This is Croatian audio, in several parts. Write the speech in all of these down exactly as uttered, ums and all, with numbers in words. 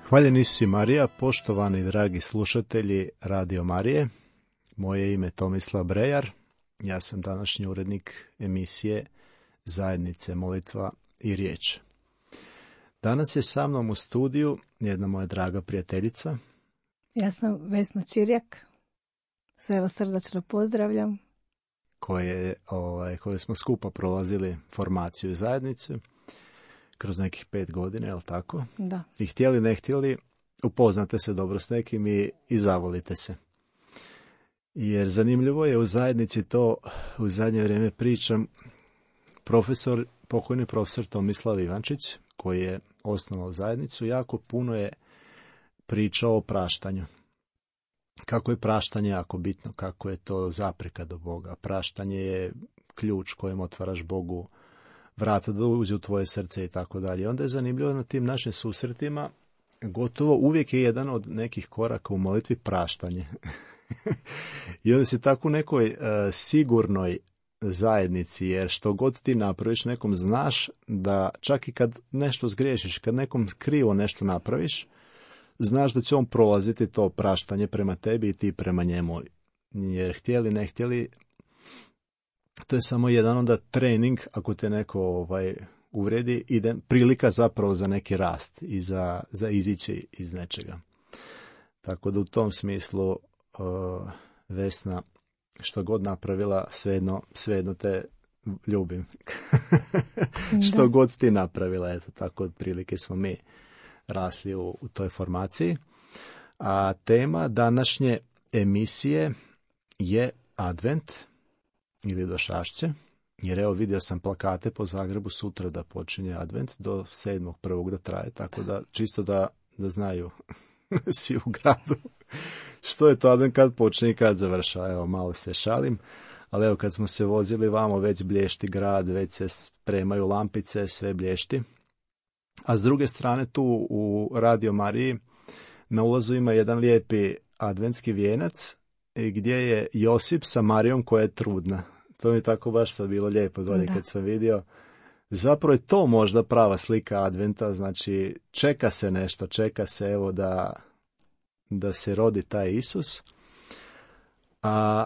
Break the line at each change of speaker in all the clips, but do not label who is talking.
Hvaljeni Isus Marija, poštovani dragi slušatelji Radio Marije. Moje ime je Tomislav Brejar. Ja sam današnji urednik emisije Zajednice molitva i riječ. Danas je sa mnom u studiju jedna moja draga prijateljica.
Ja sam Vesna Čirjak. Sve vas srdačno pozdravljam.
Koje, ovaj, koje smo skupa prolazili formaciju zajednice kroz nekih pet godina, je li tako?
Da. I
htjeli, ne htjeli, upoznate se dobro s nekim i, i zavolite se. Jer zanimljivo je u zajednici to, u zadnje vrijeme pričam, profesor, pokojni profesor Tomislav Ivančić, koji je osnovao zajednicu, jako puno je pričao o praštanju. Kako je praštanje jako bitno, kako je to zapreka do Boga. Praštanje je ključ kojim otvaraš Bogu vrata da uđe u tvoje srce i tako dalje. Onda je zanimljivo na tim našim susretima, gotovo uvijek je jedan od nekih koraka u molitvi praštanje. I onda si tako u nekoj uh, sigurnoj zajednici, jer što god ti napraviš nekom, znaš da čak i kad nešto zgriješiš, kad nekom krivo nešto napraviš, znaš da će on prolaziti to praštanje prema tebi i ti prema njemu. Jer htjeli, ne htjeli, to je samo jedan onda trening, ako te neko ovaj, uvredi, ide prilika zapravo za neki rast i za, za izići iz nečega. Tako da u tom smislu uh, Vesna, što god napravila, svejedno, svejedno te ljubim. Što god ti napravila, eto, tako otprilike smo mi rasli u, u toj formaciji. A tema današnje emisije je Advent ili Došašće, jer evo vidio sam plakate po Zagrebu sutra da počinje Advent, do sedmog prvog da traje, tako da čisto da, da znaju svi u gradu što je to Advent, kad počne i kad završa. Evo, malo se šalim, ali evo kad smo se vozili vamo, već blješti grad, već se spremaju lampice, sve blješti. A s druge strane tu u Radio Mariji na ulazu ima jedan lijepi adventski vijenac gdje je Josip sa Marijom koja je trudna. To mi tako baš sad bilo lijepo dolje kad sam vidio. Zapravo je to možda prava slika Adventa, znači čeka se nešto, čeka se evo da, da se rodi taj Isus. A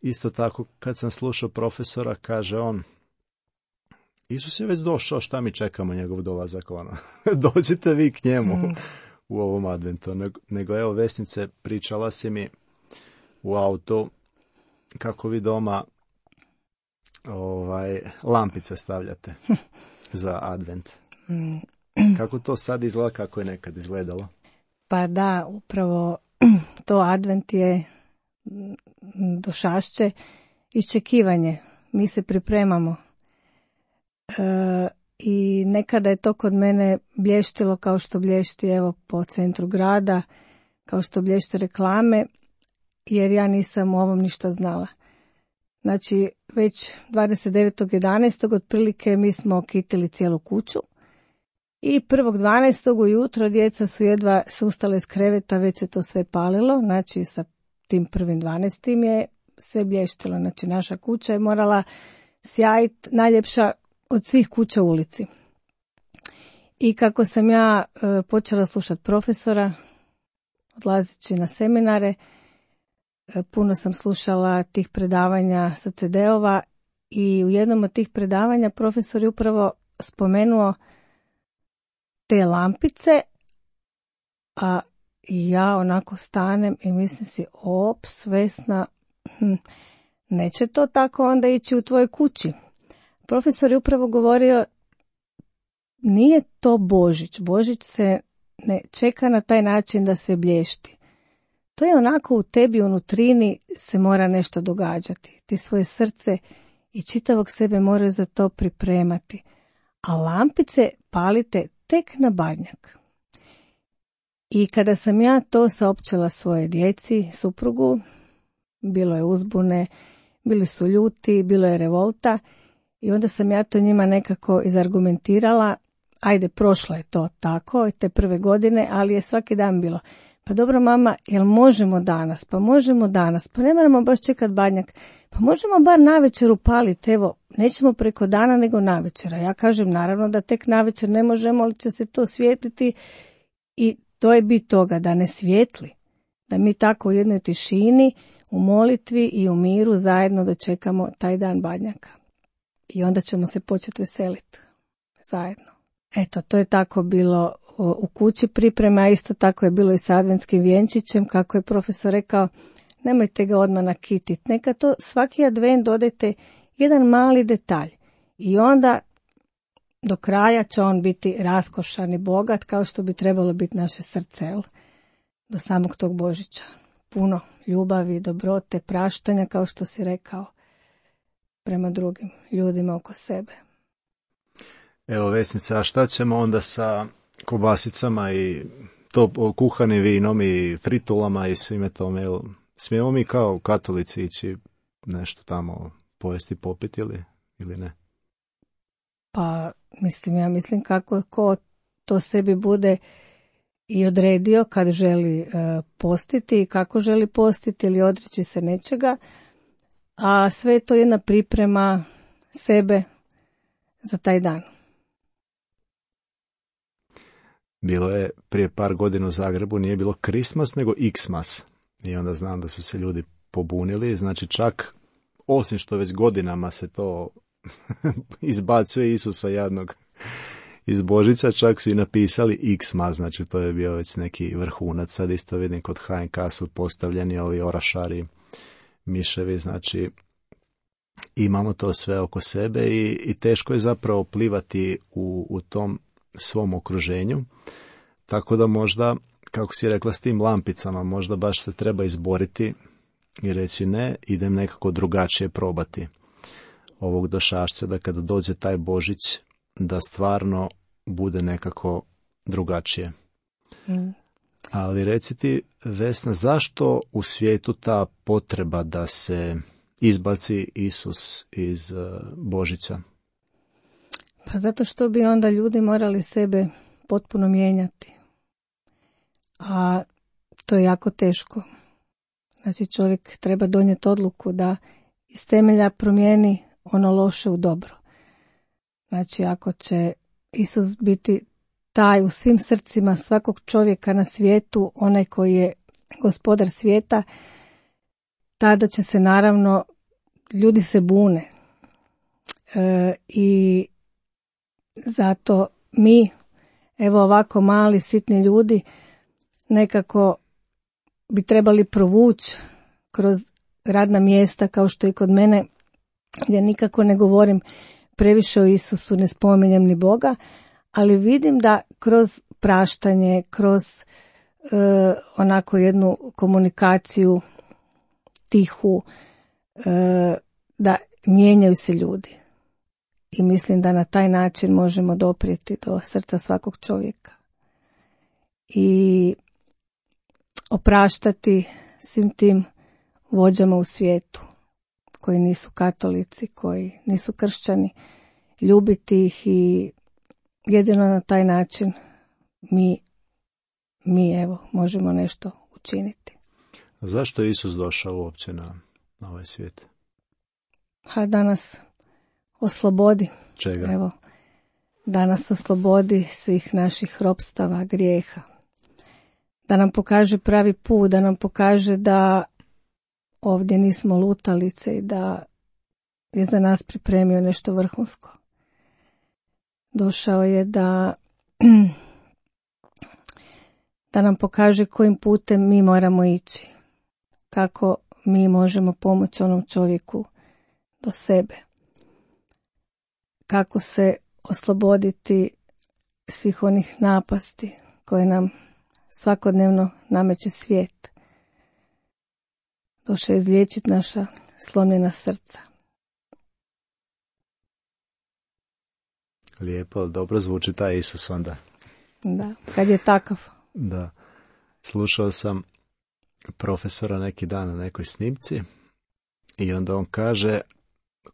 isto tako kad sam slušao profesora, kaže on, Isus je već došao, šta mi čekamo njegov dolazak, ono. Dođite vi k njemu mm. u ovom adventu. Nego, nego evo, Vesnice, pričala si mi u autu kako vi doma ovaj, lampice stavljate za advent. Kako to sad izgleda, kako je nekad izgledalo?
Pa da, upravo to advent je došašće, iščekivanje. Mi se pripremamo. E, i nekada je to kod mene blještilo kao što blješti evo po centru grada, kao što blješte reklame, jer ja nisam u ovom ništa znala. Znači već dvadeset devetog jedanaestog otprilike mi smo okitili cijelu kuću i prvog dvanaestog ujutro djeca su jedva ustale iz kreveta, već se to sve palilo, znači sa tim prvim dvanaestim je sve blještilo, znači naša kuća je morala sjajiti najljepša od svih kuća u ulici. I kako sam ja e, počela slušati profesora, odlazeći na seminare, e, puno sam slušala tih predavanja sa ce de-ova i u jednom od tih predavanja profesor je upravo spomenuo te lampice, a ja onako stanem i mislim si, ops, Vesna, hm, neće to tako onda ići u tvojoj kući. Profesor je upravo govorio, nije to Božić. Božić se ne čeka na taj način da se blješti. To je onako u tebi, u nutrini se mora nešto događati. Ti svoje srce i čitavog sebe moraju za to pripremati. A lampice palite tek na Badnjak. I kada sam ja to saopćila svoje djeci, suprugu, bilo je uzbune, bili su ljuti, bilo je revolta, i onda sam ja to njima nekako izargumentirala, ajde, prošlo je to tako, te prve godine, ali je svaki dan bilo, pa dobro mama, jel možemo danas, pa možemo danas, pa ne moramo baš čekat Badnjak, pa možemo bar navečer upaliti, evo, nećemo preko dana nego navečer. Ja kažem, naravno da tek navečer ne možemo, ali će se to svijetliti I to je bit toga, da ne svijetli, da mi tako u jednoj tišini, u molitvi i u miru zajedno dočekamo taj dan Badnjaka. I onda ćemo se početi veseliti zajedno. Eto, to je tako bilo u kući priprema, a isto tako je bilo i sa adventskim vjenčićem, kako je profesor rekao, nemojte ga odmah nakititi, neka to svaki advent dodajte jedan mali detalj i onda do kraja će on biti raskošan i bogat, kao što bi trebalo biti naše srce, jel? Do samog tog Božića. Puno ljubavi, dobrote, praštanja, kao što si rekao, prema drugim ljudima oko sebe.
Evo, Vesnica, a šta ćemo onda sa kobasicama i to kuhanim vinom i fritulama i svime tome? Jel smijemo mi kao katolici ići nešto tamo pojesti, popiti ili, ili ne?
Pa, mislim, ja mislim kako ko to sebi bude i odredio kad želi e, postiti i kako želi postiti ili odreći se nečega, a sve je to jedna priprema sebe za taj dan.
Bilo je prije par godina u Zagrebu, nije bilo Christmas nego Xmas. I onda znam da su se ljudi pobunili, znači čak, osim što već godinama se to izbacuje Isusa jadnog iz Božića, čak su i napisali Xmas, znači to je bio već neki vrhunac. Sad isto vidim kod H N K su postavljeni ovi orašari, miševi, znači imamo to sve oko sebe i, i teško je zapravo plivati u, u tom svom okruženju, tako da možda, kako si rekla, s tim lampicama, možda baš se treba izboriti i reći ne, idem nekako drugačije probati ovog došašća, da kada dođe taj Božić, da stvarno bude nekako drugačije. Mm. Ali reci ti, Vesna, zašto u svijetu ta potreba da se izbaci Isus iz uh, Božića?
Pa zato što bi onda ljudi morali sebe potpuno mijenjati. A to je jako teško. Znači čovjek treba donijeti odluku da iz temelja promijeni ono loše u dobro. Znači ako će Isus biti taj u svim srcima svakog čovjeka na svijetu, onaj koji je gospodar svijeta, tada će se naravno, ljudi se bune. E, I zato mi, evo ovako mali, sitni ljudi, nekako bi trebali provući kroz radna mjesta, kao što i kod mene, gdje nikako ne govorim previše o Isusu, ne spominjem ni Boga, ali vidim da kroz praštanje, kroz e, onako jednu komunikaciju tihu, e, da mijenjaju se ljudi. I mislim da na taj način možemo doprijeti do srca svakog čovjeka. I opraštati svim tim vođama u svijetu, koji nisu katolici, koji nisu kršćani, ljubiti ih i jedino na taj način mi, mi evo, možemo nešto učiniti.
A zašto je Isus došao uopće na, na ovaj svijet?
Ha, da nas oslobodi.
Čega?
Evo, da nas oslobodi svih naših ropstava, grijeha. Da nam pokaže pravi put, da nam pokaže da ovdje nismo lutalice i da je za nas pripremio nešto vrhunsko. Došao je da, da nam pokaže kojim putem mi moramo ići. Kako mi možemo pomoći onom čovjeku do sebe. Kako se osloboditi svih onih napasti koje nam svakodnevno nameće svijet. Došao je izliječiti naša slomljena srca.
Lijepo, dobro zvuči taj Isus onda.
Da, kad je takav.
Da. Slušao sam profesora neki dan na nekoj snimci i onda on kaže,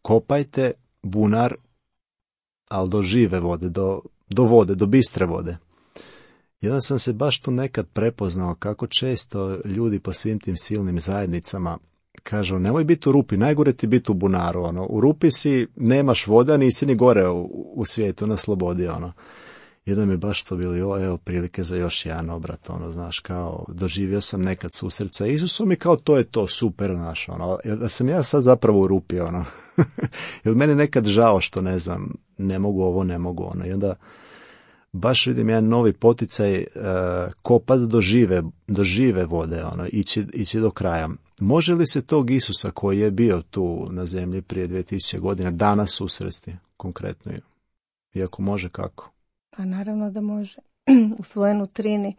kopajte bunar, ali do žive vode, do, do vode, do bistre vode. I onda sam se baš tu nekad prepoznao kako često ljudi po svim tim silnim zajednicama kažu, nemoj biti u rupi, najgore ti biti u bunaru. Ono. U rupi si, nemaš voda, nisi ni gore u, u svijetu, na slobodi. Ono. I da mi baš to bili, o, evo, prilike za još jedan obrat, ono, znaš, kao, doživio sam nekad susret sa Isusom i kao, to je to, super, znaš, ono, da sam ja sad zapravo u rupi, ono, jer meni nekad žao što, ne znam, ne mogu ovo, ne mogu ono, i onda baš vidim jedan novi poticaj, uh, kopat do žive, do žive vode, ono, ići, ići do kraja. Može li se tog Isusa koji je bio tu na zemlji prije dvije tisuće godina danas susresti, konkretno? Iako može, kako?
Pa naravno da može. U svojoj nutrini,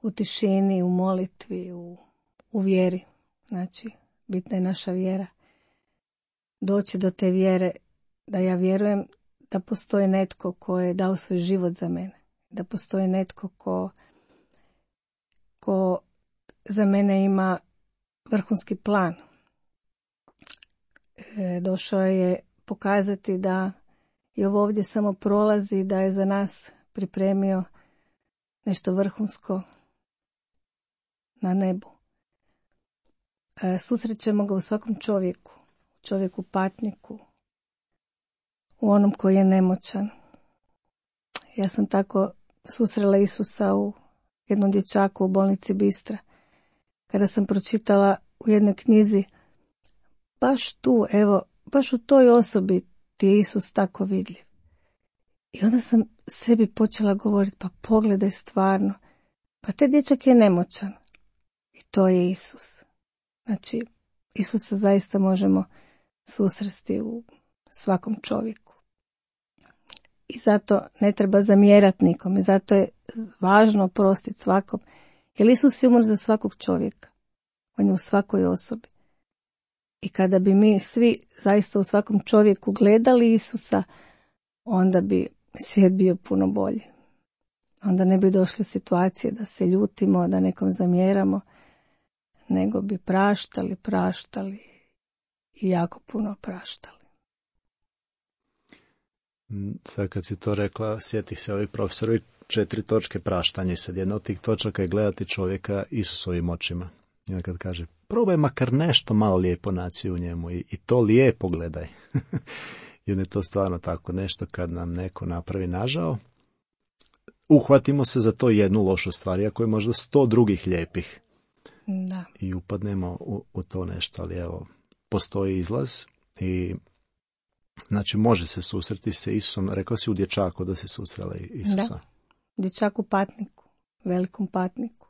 u tišini, u molitvi, u, u vjeri. Znači, bitna je naša vjera. Doći do te vjere, da ja vjerujem da postoji netko ko je dao svoj život za mene. Da postoji netko ko, ko za mene ima vrhunski plan. E, došao je pokazati da i ovo ovdje samo prolazi, da je za nas pripremio nešto vrhunsko na nebu. E, susrećemo ga u svakom čovjeku, u čovjeku patniku, u onom koji je nemoćan. Ja sam tako susrela Isusa u jednom dječaku u bolnici Bistra, kada sam pročitala u jednoj knjizi, baš tu, evo, baš u toj osobi ti je Isus tako vidljiv. I onda sam sebi počela govoriti, pa pogledaj stvarno, pa taj dječak je nemoćan. I to je Isus. Znači, Isusa zaista možemo susresti u svakom čovjeku. I zato ne treba zamjerati nikom. I zato je važno oprostiti svakom. Jer Isus je umro za svakog čovjeka. On je u svakoj osobi. I kada bi mi svi zaista u svakom čovjeku gledali Isusa, onda bi svijet bio puno bolji. Onda ne bi došli u situacije da se ljutimo, da nekom zamjeramo, nego bi praštali, praštali i jako puno praštali.
Sad kad si to rekla, sjetih se ovi profesorovi četiri točke praštanja. Sad jedna od tih točaka je gledati čovjeka Isusovim očima. I kad kaže, probaj makar nešto malo lijepo naći u njemu i, i to lijepo gledaj. Jer je to stvarno tako nešto kad nam neko napravi nažao. Uhvatimo se za to jednu lošu stvar, iako je možda sto drugih lijepih.
Da.
I upadnemo u, u to nešto, ali evo, postoji izlaz i znači može se susreti se Isusom. Rekla si u dječaku da se susrela Isusa.
Da, dječaku patniku, velikom patniku.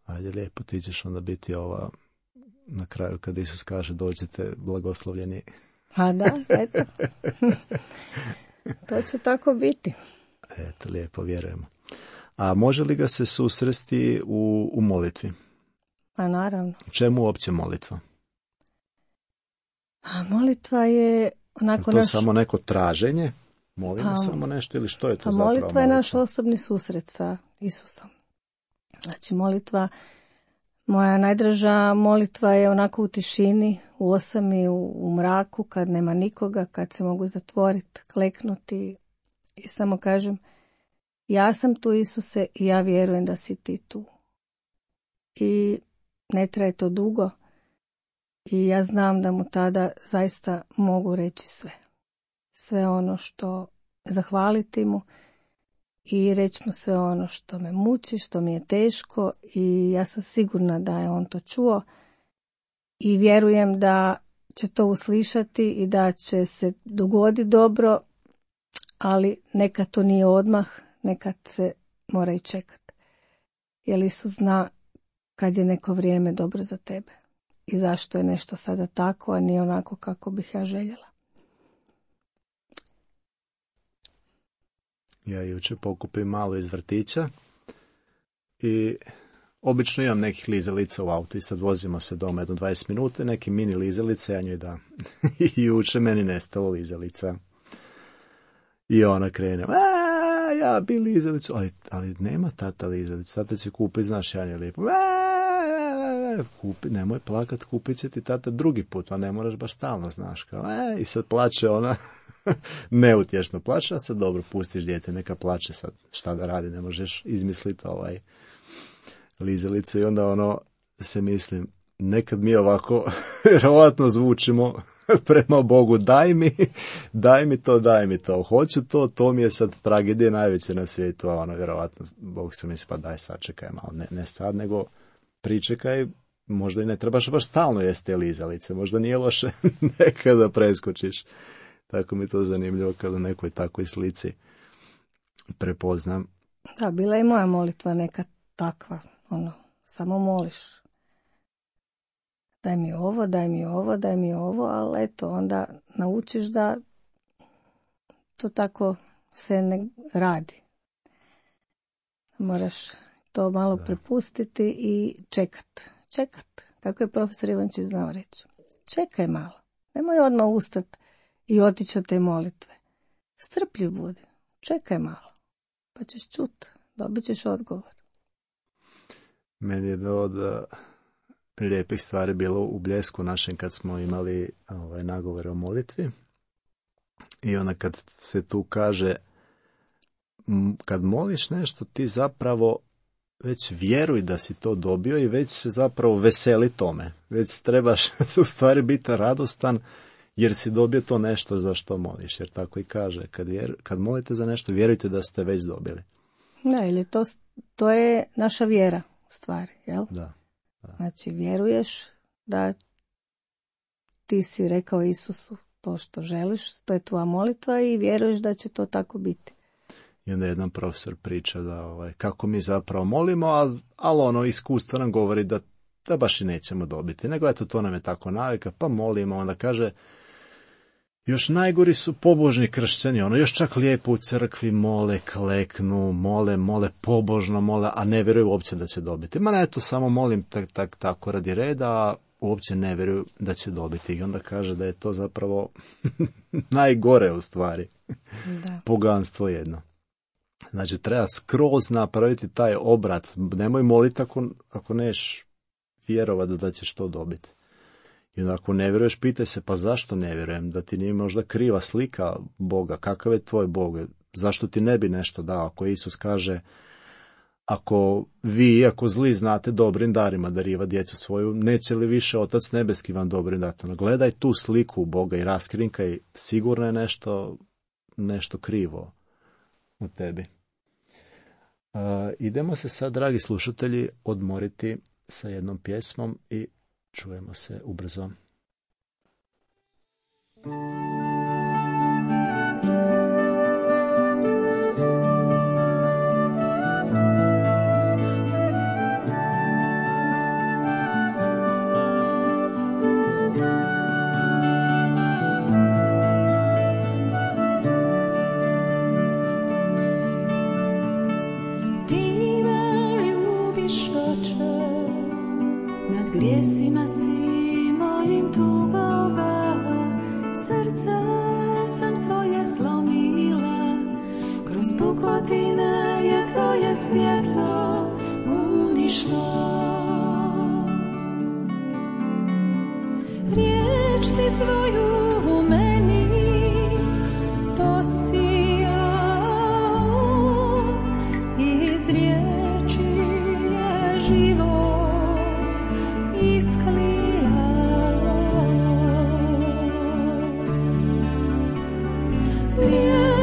Ajde, lijepo, ti ćeš onda biti ova na kraju kad Isus kaže dođete blagoslovljeni.
A da, eto. To će tako biti.
Eto, lijepo, vjerujemo. A može li ga se susresti u, u molitvi?
A naravno.
Čemu uopće molitva?
A molitva je onako
je to
naš...
samo neko traženje? Molimo a, samo nešto ili što je to
a
zapravo
molitva?
molitva
je naš osobni susret sa Isusom. Znači molitva, moja najdraža molitva je onako u tišini, u osami, u, u mraku, kad nema nikoga, kad se mogu zatvoriti, kleknuti i samo kažem, ja sam tu Isuse i ja vjerujem da si ti tu. I ne traje to dugo i ja znam da mu tada zaista mogu reći sve. Sve ono što zahvaliti mu i reći mu sve ono što me muči, što mi je teško i ja sam sigurna da je on to čuo i vjerujem da će to uslišati i da će se dogoditi dobro, ali nekad to nije odmah, nekad se mora i čekati. Jer Isus zna kad je neko vrijeme dobro za tebe i zašto je nešto sada tako, a nije onako kako bih ja željela.
Ja jučer pokupim malo iz vrtića i obično imam nekih lizalica u autu i sad vozimo se doma jedno dvadeset minuta, neki mini lizalice, ja njoj da. I jučer meni nestalo lizalica. I ona krene, a ja bi lizalicu, ali, ali nema tata lizalicu, tata će kupiti, znaš, ja njoj lijepo, kupi, nemoj plakat, kupit će ti tata drugi put, a ne moraš baš stalno, znaš, kao, e, i sad plače ona, neutješno plače, a sad dobro, pustiš dijete, neka plače sad, šta da radi, ne možeš izmisliti ovaj lizalicu i onda ono, se mislim, nekad mi ovako, vjerovatno zvučimo prema Bogu, daj mi, daj mi to, daj mi to, hoću to, to mi je sad tragedija najveća na svijetu, a ono, vjerovatno, Bog se misli, pa daj sačekaj malo, ne, ne sad, nego pričekaj, možda i ne trebaš baš stalno jesti lizalice, možda nije loše nekada preskočiš. Tako mi to zanimljivo kada u nekoj takvoj slici prepoznam.
Da, bila je i moja molitva neka takva, ono, samo moliš. Daj mi ovo, daj mi ovo, daj mi ovo, ali eto, onda naučiš da to tako se ne radi. Moraš to malo da. prepustiti i čekat. Čekat, kako je profesor Ivančić znao reći. Čekaj malo, nemoj odmah ustati i otići od te molitve. Strpljiv budi, čekaj malo, pa ćeš čut, dobit ćeš odgovor.
Meni je do od lijepih stvari bilo u Bljesku našem kad smo imali ovaj, nagovore o molitvi. I onda kad se tu kaže, kad moliš nešto, ti zapravo već vjeruj da si to dobio i već se zapravo veseli tome. Već trebaš u stvari biti radostan jer si dobio to nešto za što moliš. Jer tako i kaže, kad, vjer, kad molite za nešto, vjerujte da ste već dobili.
Da, ili to, to je naša vjera u stvari, jel?
Da, da.
Znači, vjeruješ da ti si rekao Isusu to što želiš, to je tvoja molitva i vjeruješ da će to tako biti.
I onda jedan profesor priča da ovaj, kako mi zapravo molimo, ali, ali ono iskustvo nam govori da, da baš i nećemo dobiti. Nego eto, to nam je tako navika, pa molimo. Onda kaže, još najgori su pobožni kršćani, ono još čak lijepo u crkvi mole, kleknu, mole, mole, pobožno mole, a ne vjeruju uopće da će dobiti. Ma ne, eto, samo molim tak, tak, tako radi reda, a uopće ne vjeruju da će dobiti. I onda kaže da je to zapravo najgore u stvari.
Da.
Poganstvo jedno. Znači, treba skroz napraviti taj obrat. Nemoj moliti ako, ako neš vjerovati da ćeš to dobiti. I onda ako ne vjeruješ, pitaj se, pa zašto ne vjerujem? Da ti nije možda kriva slika Boga. Kakav je tvoj Bog? Zašto ti ne bi nešto dao? Ako Isus kaže, ako vi, iako zli, znate dobrim darima dariva djecu svoju, neće li više Otac nebeski vam dobrim dati? Gledaj tu sliku Boga i raskrinkaj, sigurno je nešto, nešto krivo u tebi. Uh, idemo se sad, dragi slušatelji, odmoriti sa jednom pjesmom i čujemo se ubrzo.
Grijesima si mojim tugova, srce sam svoje slomila, kroz pukotine je tvoje svjetlo unišlo. Riječ si svoju u meni posijao, iz riječi je život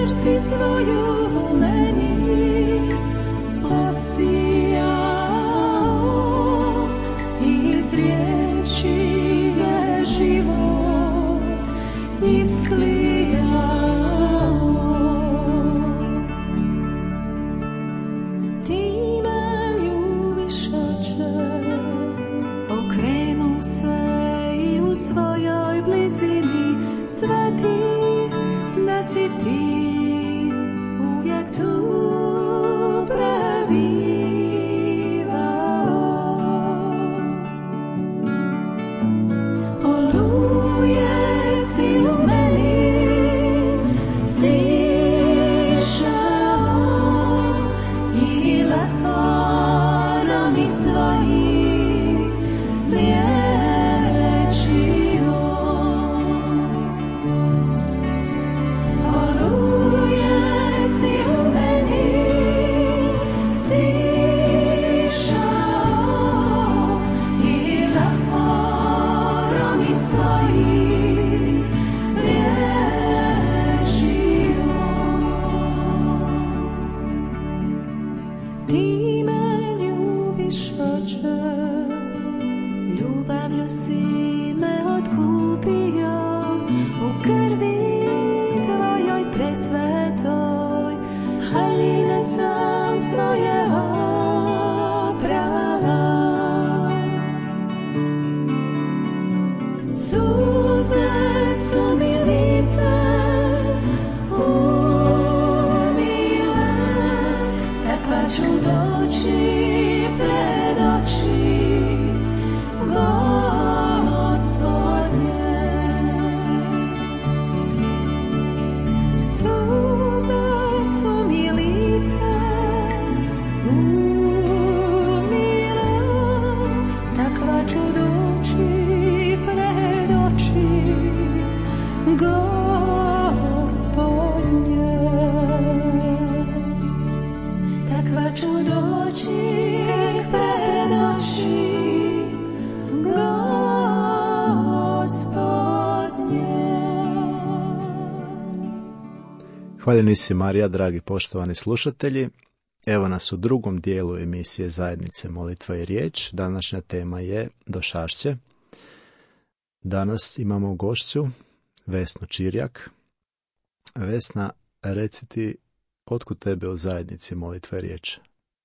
si svoju u meni posijao, iz riječi je život Ljubavlju si me otkupio, u krvi tvojoj presvetoj, haljine sam svoje oprala. Suze su mi lice umile, takva ću doći pred oči Gospodnje. Suze su mi lice umile, takva ću doći pred oči Gospodnje. Takva ću doći pred oči
Hvaljeni si Marija, dragi poštovani slušatelji. Evo nas u drugom dijelu emisije Zajednice molitva i riječ. Današnja tema je Došašće. Danas imamo gošću Vesnu Čirjak. Vesna, reci ti, otkud tebe u Zajednici molitva i riječ?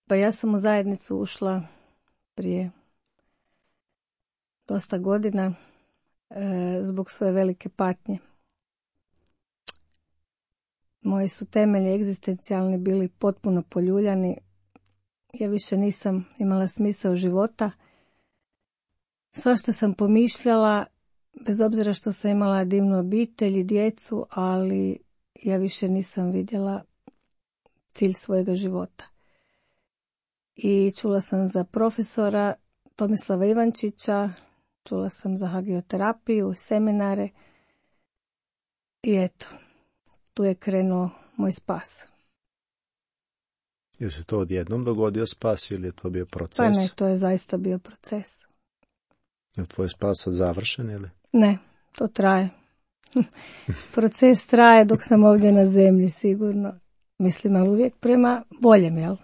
Pa ja sam u zajednicu ušla prije dosta godina e, zbog svoje velike patnje. Moji su temelji egzistencijalni bili potpuno poljuljani. Ja više nisam imala smisao života. Svašta sam pomišljala, bez obzira što sam imala divnu obitelj i djecu, ali ja više nisam vidjela cilj svojega života. I čula sam za profesora Tomislava Ivančića, čula sam za hagioterapiju, seminare i eto, tu je krenuo moj spas.
Je se to odjednom dogodio spas ili je to bio proces?
Pa ne, to je zaista bio proces.
Je tvoj spas sad završen ili?
Ne, to traje. Proces traje dok sam ovdje na zemlji, sigurno. Mislim, ali uvijek prema boljem, jel?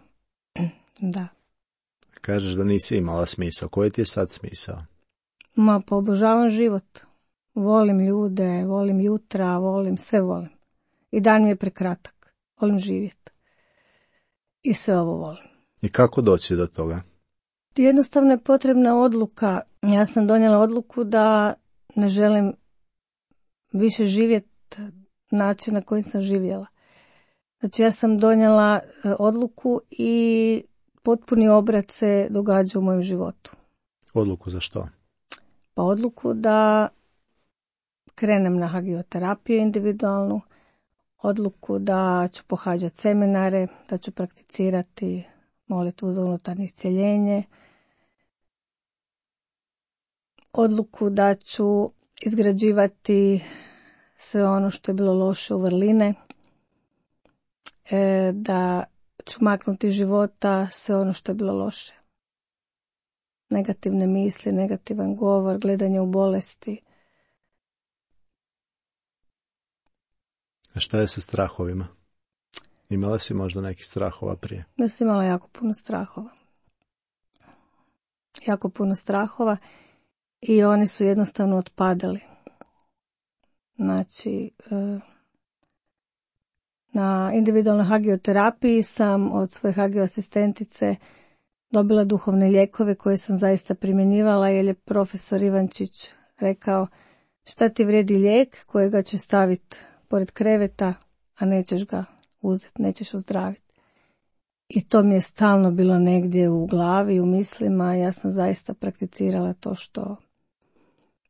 Da.
Kažeš da nisi imala smisao. Koji ti je sad smisao?
Ma, pa obožavam život. Volim ljude, volim jutra, volim, sve volim. I dan mi je prekratak. Volim živjeti. I sve ovo volim.
I kako doći do toga?
Jednostavno je potrebna odluka. Ja sam donijela odluku da ne želim više živjeti način na koji sam živjela. Znači ja sam donijela odluku i potpuni obrat se događa u mojem životu.
Odluku za što?
Pa odluku da krenem na hagioterapiju individualnu, odluku da ću pohađati seminare, da ću prakticirati molitvu za unutarnje iscjeljenje, odluku da ću izgrađivati sve ono što je bilo loše u vrline, e, da ću maknuti iz života sve ono što je bilo loše. Negativne misli, negativan govor, gledanje u bolesti.
A šta je sa strahovima? Imala si možda nekih strahova prije?
Ja sam imala jako puno strahova. Jako puno strahova i oni su jednostavno otpadali. Znači, na individualnoj hagioterapiji sam od svoje hagio asistentice dobila duhovne lijekove koje sam zaista primjenjivala, jer je profesor Ivančić rekao šta ti vrijedi lijek kojega će staviti pored kreveta, a nećeš ga uzeti, nećeš ozdraviti. I to mi je stalno bilo negdje u glavi, u mislima. Ja sam zaista prakticirala to što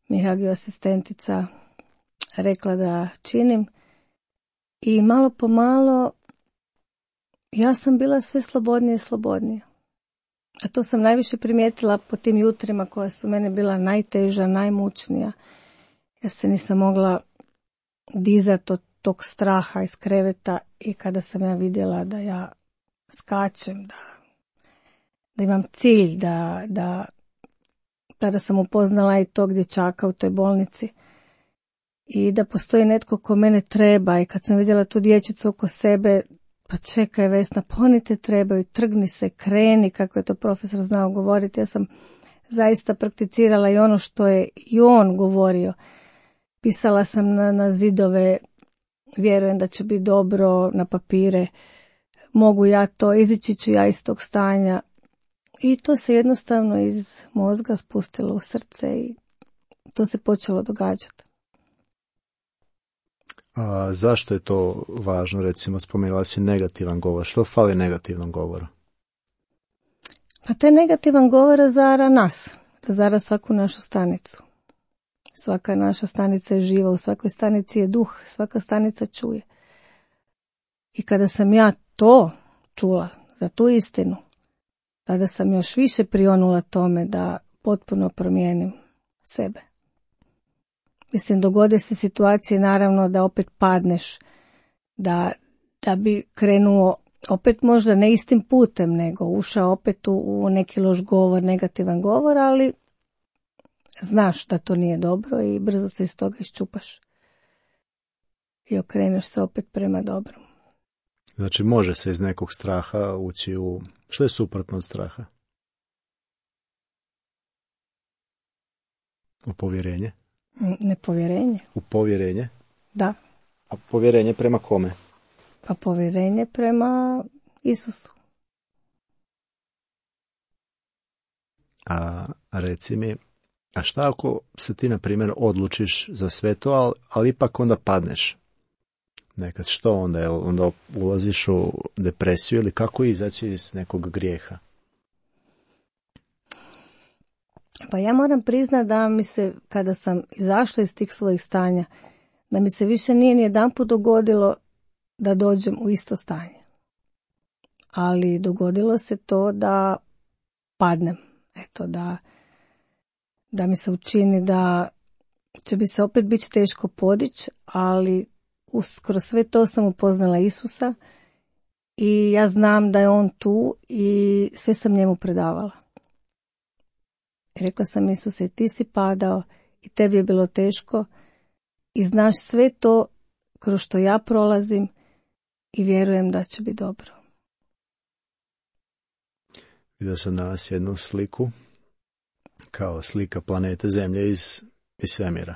mi hagio asistentica rekla da činim. I malo po malo ja sam bila sve slobodnije i slobodnije. A to sam najviše primijetila po tim jutrima koja su mene bila najteža, najmučnija. Ja se nisam mogla dizati od tog straha iz kreveta i kada sam ja vidjela da ja skačem, da, da imam cilj, da, da kada sam upoznala i tog dječaka u toj bolnici i da postoji netko ko mene treba, i kad sam vidjela tu dječicu oko sebe, pa čekaj Vesna, pa oni te trebaju, trgni se, kreni, kako je to profesor znao govoriti. Ja sam zaista prakticirala i ono što je i on govorio. Pisala sam na, na zidove, vjerujem da će biti dobro, na papire, mogu ja to, izići ću ja iz tog stanja. I to se jednostavno iz mozga spustilo u srce i to se počelo događati.
A zašto je to važno? Recimo, spomenula si negativan govor. Što fali negativnom govoru?
Pa taj negativan govor razara nas, razara svaku našu stanicu. Svaka naša stanica je živa, u svakoj stanici je duh, svaka stanica čuje. I kada sam ja to čula, za tu istinu, tada sam još više prionula tome da potpuno promijenim sebe. Mislim, dogode se situacije naravno da opet padneš, da, da bi krenuo opet možda ne istim putem, nego ušao opet u, u neki loš govor, negativan govor, ali znaš da to nije dobro i brzo se iz toga iščupaš. I okreneš se opet prema dobrom.
Znači, može se iz nekog straha ući u... Što je suprotno od straha? U povjerenje?
Nepovjerenje.
U povjerenje?
Da.
A povjerenje prema kome?
Pa povjerenje prema Isusu.
A, a reci mi, a šta ako se ti, na primjer, odlučiš za sve to, ali, ali ipak onda padneš? Nekad, što onda? Jel onda ulaziš u depresiju ili kako izaći iz nekog grijeha?
Pa ja moram priznati da mi se, kada sam izašla iz tih svojih stanja, da mi se više nije ni jedanput dogodilo da dođem u isto stanje. Ali dogodilo se to da padnem. Eto, da, da mi se učini da će bi se opet biti teško podići, ali kroz sve to sam upoznala Isusa i ja znam da je on tu i sve sam njemu predavala. I rekla sam, Isuse, ti si padao i tebi je bilo teško i znaš sve to kroz što ja prolazim i vjerujem da će biti dobro.
Vidio sam danas jednu sliku, kao slika planete Zemlje iz, iz svemira.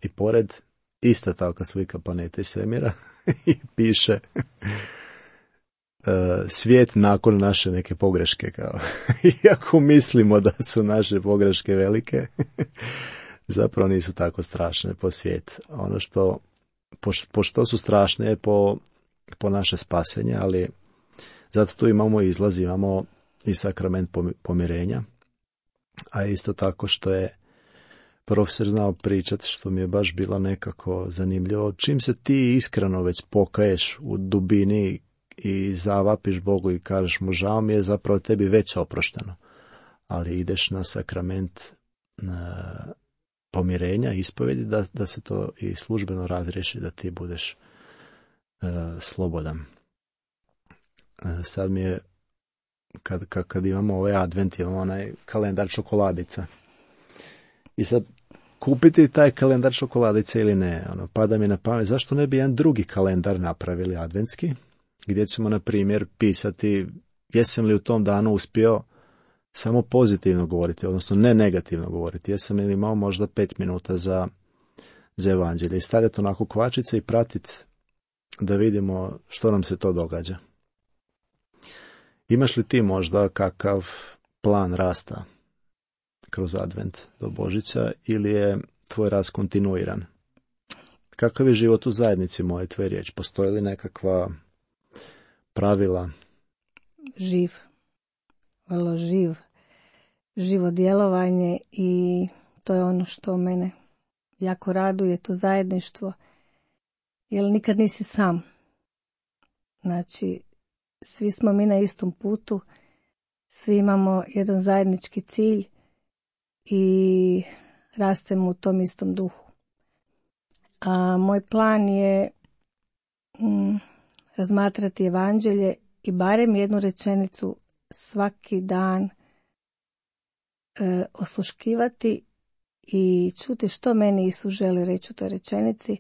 I pored ista takva slika planete iz svemira i piše uh, svijet nakon naše neke pogreške. Kao. Iako mislimo da su naše pogreške velike, zapravo nisu tako strašne po svijet. Ono što, po, po što su strašne je po, po naše spasenje, ali zato tu imamo izlaz, imamo i sakrament pomirenja, a isto tako što je profesor znao pričati, što mi je baš bilo nekako zanimljivo. Čim se ti iskreno već pokaješ u dubini i zavapiš Bogu i kažeš mu žao mi je, zapravo tebi već oprošteno. Ali ideš na sakrament na pomirenja, ispovjedi, da, da se to i službeno razriješi, da ti budeš uh, slobodan. Uh, sad mi je, kad, kad, kad imamo ovaj advent, imamo onaj kalendar čokoladica. I sad, kupiti taj kalendar čokoladice ili ne, ono, pada mi na pamet, zašto ne bi jedan drugi kalendar napravili adventski, gdje ćemo, na primjer, pisati jesam li u tom danu uspio samo pozitivno govoriti, odnosno ne negativno govoriti, jesam li imao možda pet minuta za, za evanđelje i stavljati onako kvačice i pratiti da vidimo što nam se to događa. Imaš li ti možda kakav plan rasta kroz advent do Božića ili je tvoj rast kontinuiran? Kakav je život u zajednici, moje tvoje riječ? Postoji li nekakva pravila?
Živ. Vrlo živ. Živo djelovanje i to je ono što mene jako raduje, to zajedništvo. Jer nikad nisi sam. Znači, svi smo mi na istom putu, svi imamo jedan zajednički cilj i rastemo u tom istom duhu. A moj plan je mm, razmatrati evanđelje i barem jednu rečenicu svaki dan e, osluškivati i čuti što meni Isus želi reći u toj rečenici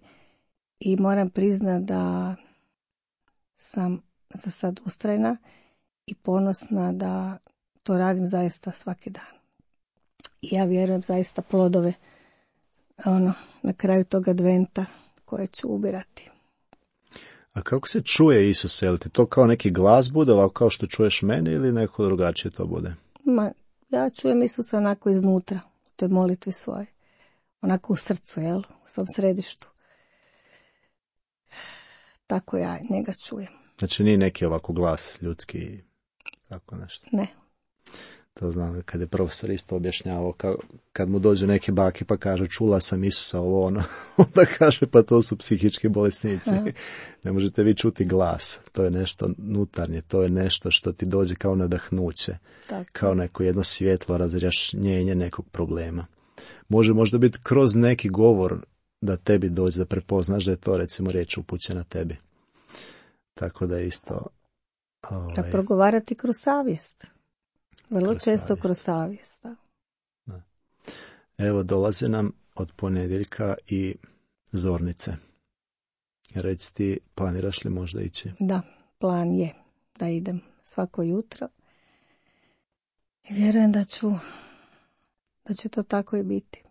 i moram priznati da sam za sad ustrajna i ponosna da to radim zaista svaki dan. I ja vjerujem zaista plodove ono, na kraju tog adventa koje ću ubirati.
A kako se čuje Isus? Je li ti to kao neki glas bude, ovako kao što čuješ mene ili neko drugačije to bude?
Ma, ja čujem Isusa onako iznutra, u toj molitvi svoje. Onako u srcu, jel? U svom središtu. Tako ja njega čujem.
Znači nije neki ovako glas ljudski, tako nešto?
Ne.
To znam, kad je profesor isto objašnjavao, kao, kad mu dođu neke bake pa kaže čula sam Isusa ovo ono, onda kaže pa to su psihički bolesnici. Aha. Ne možete vi čuti glas, to je nešto nutarnje, to je nešto što ti dođe kao nadahnuće, tako. Kao neko jedno svjetlo razrjašnjenje nekog problema. Može možda biti kroz neki govor da tebi dođe da prepoznaš da je to recimo riječ upućena tebi. Tako da isto... Ovaj...
Da progovarati kroz savjest. Vrlo kroz često savjest. Kroz savjest. Da.
Da. Evo dolaze nam od ponedjeljka i zornice. Reci ti, planiraš li možda ići?
Da, plan je da idem svako jutro. I vjerujem da ću, da će to tako i biti.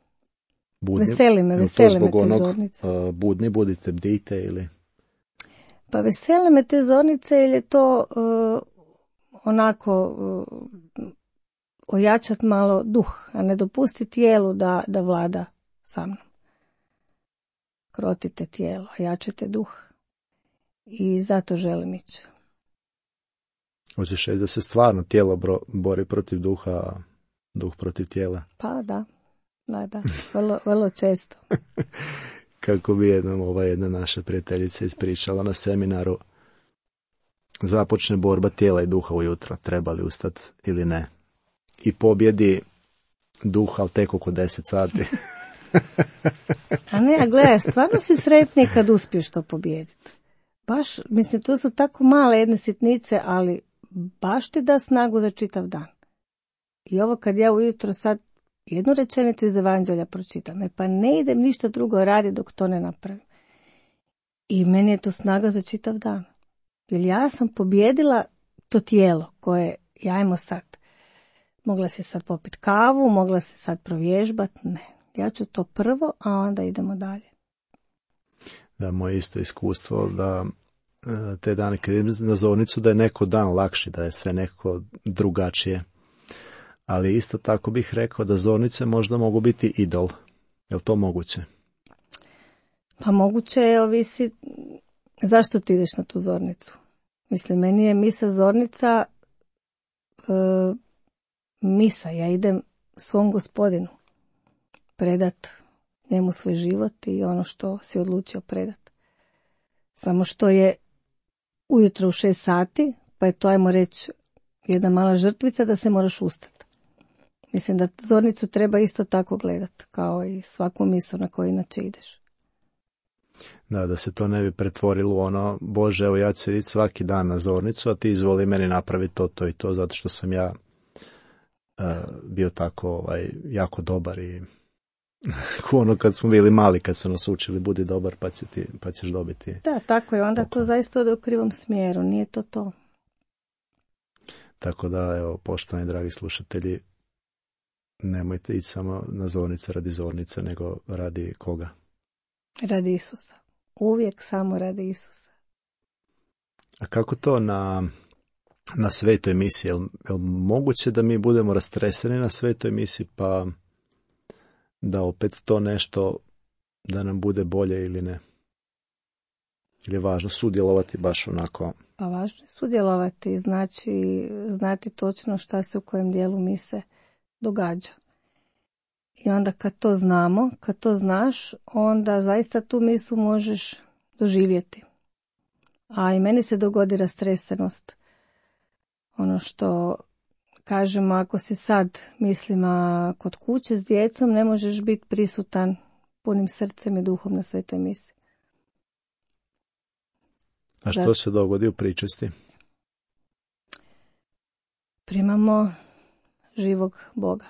Budni,
veseli me, veseli me te onog, zornice.
Uh, budni budite, bdite ili...
Pa vesele me te zornice jer je to uh, onako uh, ojačat malo duh, a ne dopustiti tijelu da, da vlada sa mnom. Krotite tijelo, ojačite duh. I zato želim ići.
Hoćeš reći da se stvarno tijelo bro, bori protiv duha, a duh protiv tijela?
Pa da, da, da, vrlo, vrlo često.
Kako bi jednom ova jedna naša prijateljica ispričala na seminaru, započne borba tijela i duha ujutro, treba li ustati ili ne. I pobjedi duh, ali tek oko deset sati.
A ne, a gledaj, stvarno si sretniji kad uspiješ to pobijediti. Baš, mislim, to su tako male jedne sitnice, ali baš ti da snagu za čitav dan. I ovo kad ja ujutro sad jednu rečenicu iz Evanđelja pročitam, e pa ne idem ništa drugo raditi dok to ne napravim. I meni je to snaga za čitav dan. Jer ja sam pobjedila to tijelo koje, jajmo sad, mogla si sad popiti kavu, mogla si sad provježbati, ne. Ja ću to prvo, a onda idemo dalje.
Da, moje isto iskustvo da te dane kad idem na zornicu da je neko dan lakši, da je sve neko drugačije. Ali isto tako bih rekao da zornice možda mogu biti idol. Je li to moguće?
Pa moguće je, ovisi zašto ti ideš na tu zornicu. Mislim, meni je misa zornica e, misa. Ja idem svom Gospodinu predat njemu svoj život i ono što si odlučio predat. Samo što je ujutro u šest sati, pa je to, ajmo reći, jedna mala žrtvica da se moraš ustati. Mislim da zornicu treba isto tako gledati, kao i svaku misu na koju inače ideš.
Da, da se to ne bi pretvorilo u ono, Bože, evo ja ću sediti svaki dan na zornicu, a ti izvoli meni napraviti to, to i to, zato što sam ja uh, bio tako ovaj, jako dobar i ono kad smo bili mali, kad su nas učili, budi dobar pa, će ti, pa ćeš dobiti.
Da, tako je, onda to zaista ode u krivom smjeru, nije to to.
Tako da, evo, poštovani dragi slušatelji, nemojte ići samo na zornice radi zornice, nego radi koga?
Radi Isusa. Uvijek samo radi Isusa.
A kako to na, na svetoj misiji? Je li, je li moguće da mi budemo rastreseni na svetoj misiji pa da opet to nešto da nam bude bolje ili ne? Ili je važno sudjelovati baš onako?
Pa važno je sudjelovati, znači znati točno šta se u kojem dijelu mise događa. I onda kad to znamo, kad to znaš, onda zaista tu misu možeš doživjeti. A i meni se dogodi rastresenost. Ono što kažemo, ako si sad, mislim, kod kuće s djecom, ne možeš biti prisutan punim srcem i duhom na svetoj misi.
A što se dogodi u pričesti?
Primamo živog Boga.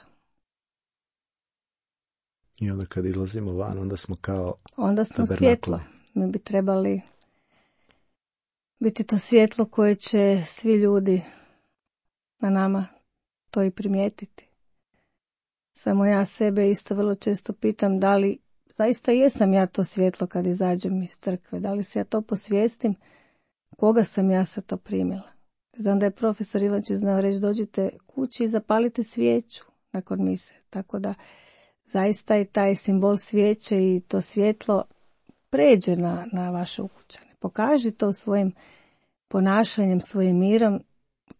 I onda kad izlazimo van, onda smo kao
Onda smo svjetlo. Mi bi trebali biti to svjetlo koje će svi ljudi na nama to i primijetiti. Samo ja sebe isto vrlo često pitam da li zaista jesam ja to svjetlo kad izađem iz crkve, da li se ja to posvijestim, koga sam ja sa to primila. Znam da je profesor Ivančić znao reći dođite kući i zapalite svijeću nakon mise, tako da zaista i taj simbol svijeće i to svjetlo pređe na, na vaše ukućane. Pokaži to svojim ponašanjem, svojim mirom,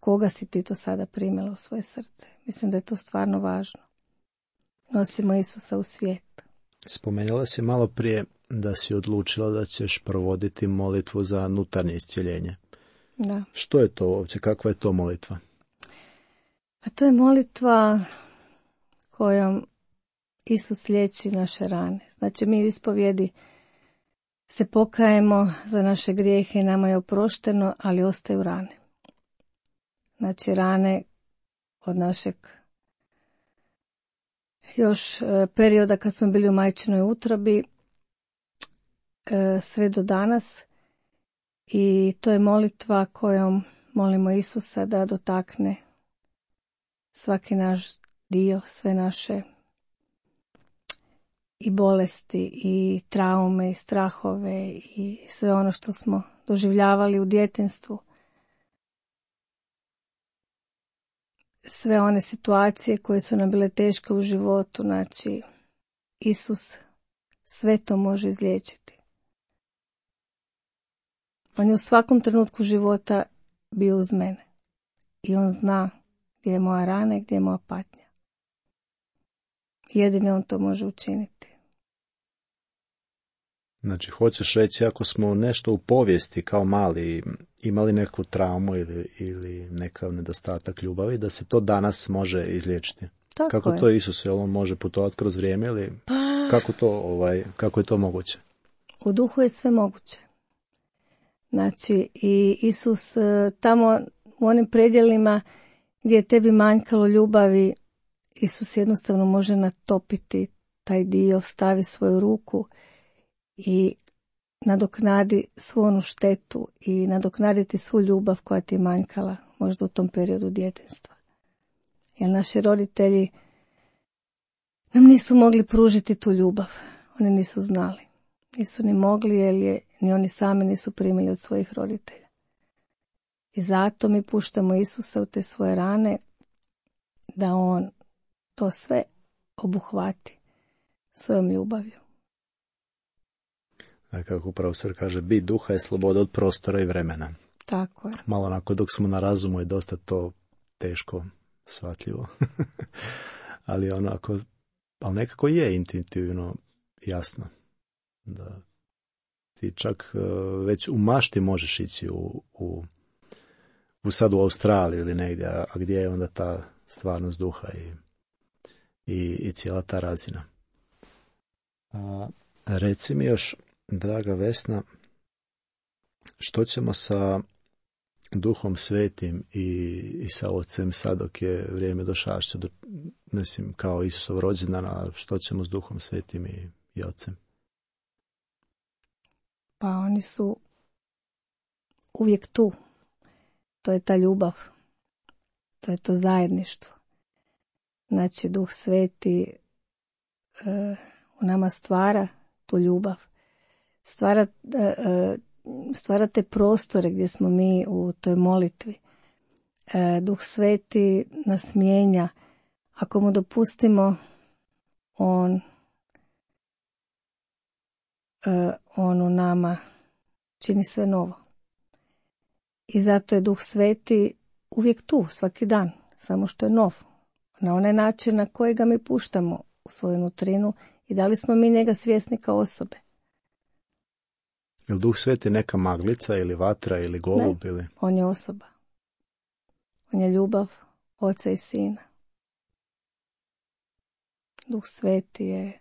koga si ti to sada primila u svoje srce. Mislim da je to stvarno važno. Nosimo Isusa u svijet.
Spomenula si malo prije da si odlučila da ćeš provoditi molitvu za unutarnje iscjeljenje.
Da.
Što je to uopće? Kakva je to molitva?
A to je molitva kojom Isus liječi naše rane. Znači mi u ispovjedi se pokajemo za naše grijehe i nama je oprošteno, ali ostaju rane. Znači rane od našeg još e, perioda kad smo bili u majčinoj utrobi e, sve do danas i to je molitva kojom molimo Isusa da dotakne svaki naš dio, sve naše i bolesti i traume i strahove i sve ono što smo doživljavali u djetinjstvu. Sve one situacije koje su nam bile teške u životu, znači Isus sve to može izliječiti. On je u svakom trenutku života bio uz mene i on zna gdje je moja rana i gdje je moja patnja. Jedini on to može učiniti.
Znači, hoćeš reći, ako smo nešto u povijesti kao mali imali neku traumu ili, ili nekav nedostatak ljubavi, da se to danas može izliječiti.
Tako
kako
je.
to Isus, jel on može putovati kroz vrijeme ili kako, to, ovaj, kako je to moguće?
U duhu je sve moguće. Znači, i Isus tamo u onim predjelima gdje je tebi manjkalo ljubavi, Isus jednostavno može natopiti taj dio, stavi svoju ruku i nadoknadi svu onu štetu i nadoknaditi svu ljubav koja ti je manjkala možda u tom periodu djetinjstva. Jer naši roditelji nam nisu mogli pružiti tu ljubav. Oni nisu znali. Nisu ni mogli jer je ni oni sami nisu primili od svojih roditelja. I zato mi puštamo Isusa u te svoje rane da on to sve obuhvati svojom ljubavlju.
A kako profesor kaže, bit duha je sloboda od prostora i vremena.
Tako je.
Malo onako dok smo na razumu je dosta to teško shvatljivo. ali onako, ali nekako je intuitivno jasno. Da ti čak već u mašti možeš ići u, u, u sad u Australiju ili negdje, a gdje je onda ta stvarnost duha i, i, i cijela ta razina. A, reci mi još, draga Vesna, što ćemo sa Duhom Svetim i, i sa Ocem sad dok je vrijeme došašće, do, mislim kao Isusov rođendan, a što ćemo s Duhom Svetim i, i Ocem?
Pa oni su uvijek tu. To je ta ljubav. To je to zajedništvo. Znači, Duh Sveti e, u nama stvara tu ljubav. Stvara, e, stvara te prostore gdje smo mi u toj molitvi. E, Duh Sveti nas mijenja. Ako mu dopustimo, on e, on u nama čini sve novo. I zato je Duh Sveti uvijek tu, svaki dan, samo što je nov. Na onaj način na koji ga mi puštamo u svoju nutrinu i da li smo mi njega svjesni kao osobe.
Je li Duh Sveti neka maglica ili vatra ili golub?
Ne,
ili...
on je osoba. On je ljubav Oca i Sina. Duh Sveti je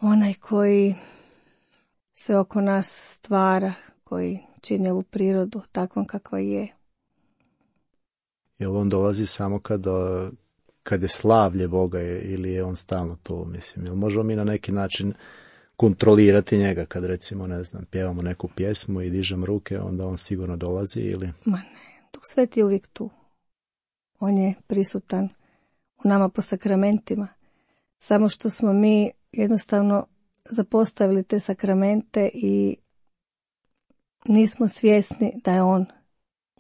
onaj koji se oko nas stvara, koji čini ovu prirodu takvom kakva je.
Jel on dolazi samo kada, kad je slavlje Boga ili je on stalno tu, mislim? Jel možemo mi na neki način kontrolirati njega kad recimo, ne znam, pjevamo neku pjesmu i dižem ruke, onda on sigurno dolazi ili?
Ma ne, Duh Sveti je uvijek tu. On je prisutan u nama po sakramentima. Samo što smo mi jednostavno zapostavili te sakramente i nismo svjesni da je on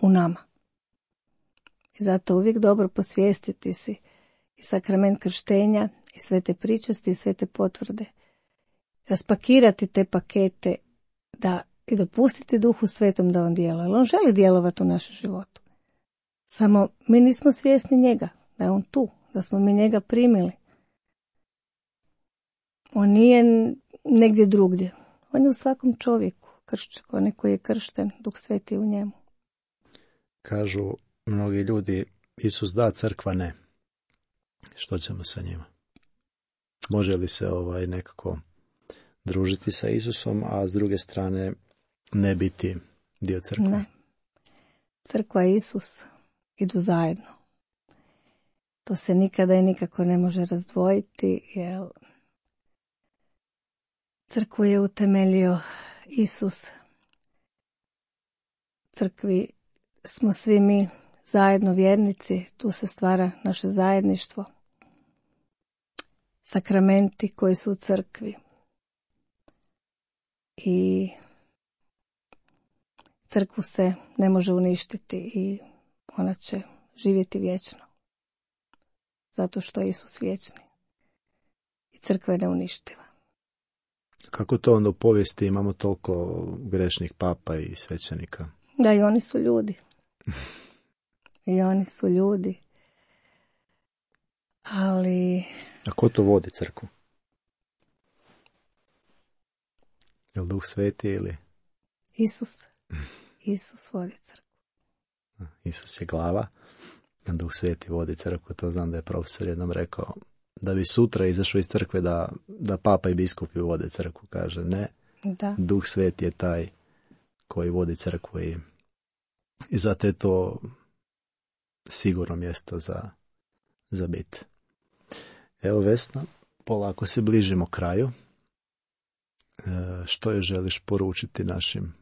u nama. I zato uvijek dobro posvijestiti si i sakrament krštenja, i sve te pričasti, i sve te potvrde. Raspakirati te pakete da, i dopustiti Duhu Svetom da on djeluje. On želi djelovati u našem životu. Samo mi nismo svjesni njega, da je on tu, da smo mi njega primili. On nije negdje drugdje. On je u svakom čovjeku, kršćan, onaj koji je kršten, Duh Sveti u njemu.
Kažu mnogi ljudi, Isus da, crkva ne. Što ćemo sa njima? Može li se ovaj nekako družiti sa Isusom, a s druge strane ne biti dio crkve?
Ne. Crkva i Isus idu zajedno. To se nikada i nikako ne može razdvojiti, jer crkvu je utemeljio Isus. Crkvi smo svi mi zajedno vjernici, tu se stvara naše zajedništvo. Sakramenti koji su u crkvi. I crkvu se ne može uništiti i ona će živjeti vječno. Zato što je Isus vječni. I crkva je neuništiva.
Kako to onda u povijesti imamo toliko grešnih papa i svećenika?
Da, i oni su ljudi. I oni su ljudi. Ali...
A ko to vodi crkvu? Je li Duh Sveti ili...
Isus. Isus vodi crkvu.
Isus je glava, a Duh Sveti vodi crkvu. To znam da je profesor jednom rekao, da bi sutra izašao iz crkve da, da papa i biskupi vode crkvu. Kaže ne,
da.
Duh Sveti je taj koji vodi crkvu i, i zato je to sigurno mjesto za, za bit. Evo Vesna, polako se bližimo kraju. E, što je želiš poručiti našim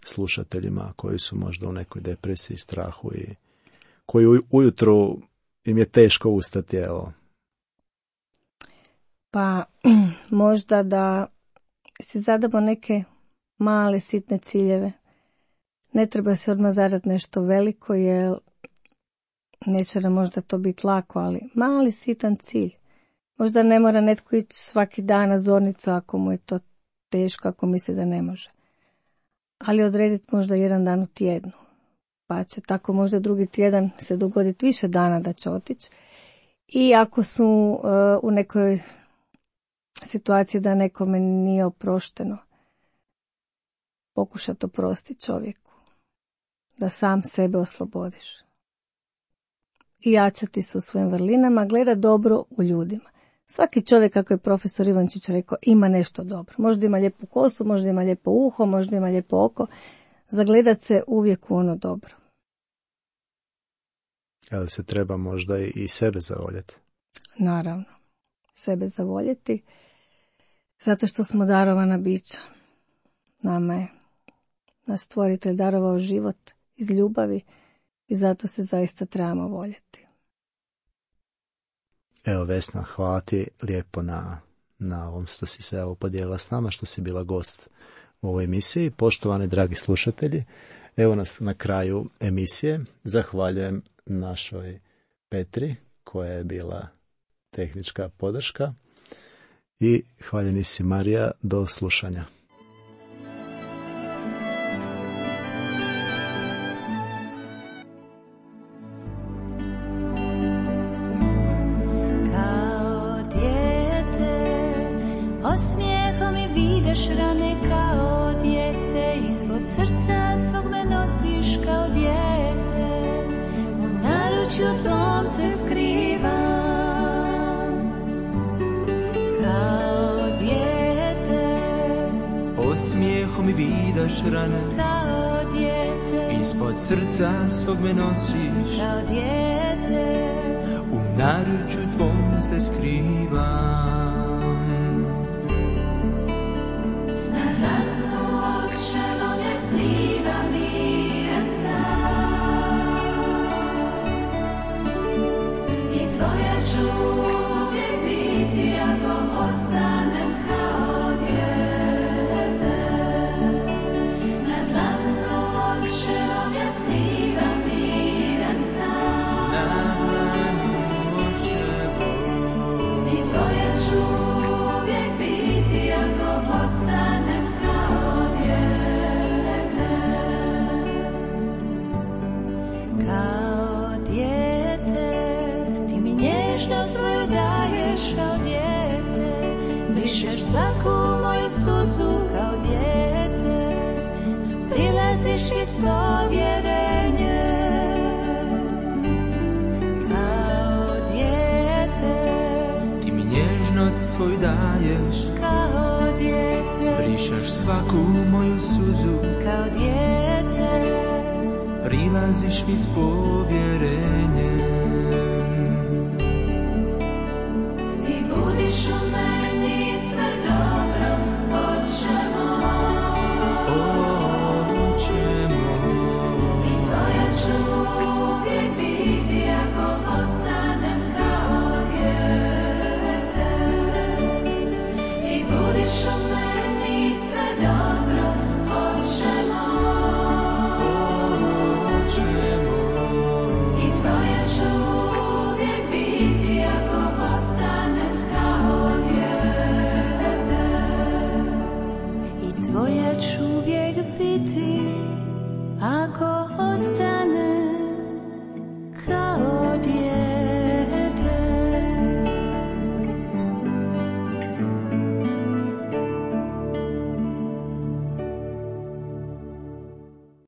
slušateljima koji su možda u nekoj depresiji, strahu i koji ujutro im je teško ustati, evo?
Pa možda da si zadamo neke male sitne ciljeve. Ne treba se odmah zadati nešto veliko, jer neće nam možda to biti lako, ali mali sitan cilj. Možda ne mora netko ići svaki dan na zornicu ako mu je to teško, ako misli da ne može. Ali odrediti možda jedan dan u tjednu. Pa će tako možda drugi tjedan se dogoditi više dana da će otići. I ako su uh, u nekoj situaciji da nekome nije oprošteno, pokušati oprostiti čovjeku. Da sam sebe oslobodiš. I jačati se u svojim vrlinama, gleda dobro u ljudima. Svaki čovjek, kako je profesor Ivančić rekao, ima nešto dobro. Možda ima lijepu kosu, možda ima lijepo uho, možda ima lijepo oko. Zagledat se uvijek u ono dobro.
Ali se treba možda i sebe zavoljeti.
Naravno. Sebe zavoljeti. Zato što smo darovana bića. Nama je naš stvoritelj darovao život iz ljubavi i zato se zaista trebamo voljeti.
Evo Vesna, hvala ti lijepo na, na ovom što si se evo podijelila s nama, što si bila gost u ovoj emisiji. Poštovani dragi slušatelji, evo nas na kraju emisije. Zahvaljujem našoj Petri koja je bila tehnička podrška i hvaljeni si Marija, do slušanja.
Osmijehom mi vidiš rane kao dijete, ispod srca svog me nosiš kao dijete, u naručju tvom se skrivam, kao dijete.
Osmijehom mi vidiš rane
kao dijete,
ispod srca svog me nosiš
kao dijete,
u naručju tvom se skrivam.
Tvoja ću brišeš svaku moju suzu kao dijete, prilaziš mi svo vjerenje kao dijete,
ti mi nježnost svoj daješ
kao dijete,
brišeš svaku moju suzu
kao dijete,
prilaziš mi s povjerenjem